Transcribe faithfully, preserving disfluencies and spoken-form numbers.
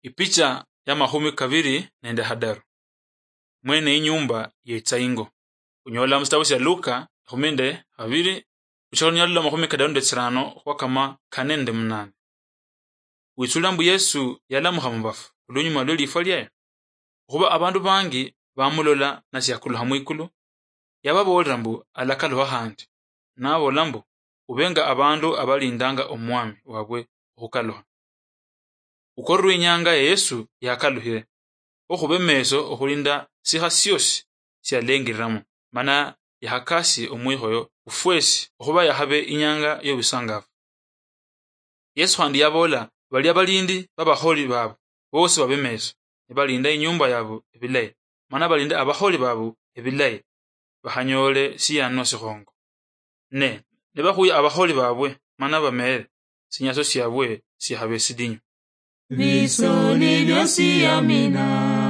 Ipicha ya makhumi kabiri nende hadaru. Mwene inyumba yetsa ingo. Khunyola musitabu sia Luka ekhumi nende habiri, khuchaka lunyola lwa makhumi kadaru nende tsirano khwakama kane nende munane. Witsula mbu Yesu yalamukha mubafu olunyuma lwe lifwa liaye, okhuba abandu bangi bamulola nasiakulukha mwikulu. Yababoolera mbu alakalukha khandi, nabola mbu, ubenga abandu abalindanga omwami wabwe okhukalukha. Ukorerwe inyanga ya Yesu yakalukhire, okhuba emeso okhulinda sikha siosi sialengiriramo, mana yakhakasie omwikhoyo ufwesi okhuba yakhabe inyanga yobusangafu. Yesu khandi yabola, balia balindi babakholi babu bosi babe meso, nibalinda inyumba yabu ebilayi, mana balinde abakholi babu ebilayi, bakhanyole siyanwa sikhongo. Ne nibakhuya abakholi babwe mana bamere, sinyaso siabwe sikhabe sidinyu. Bisoni byosi amina.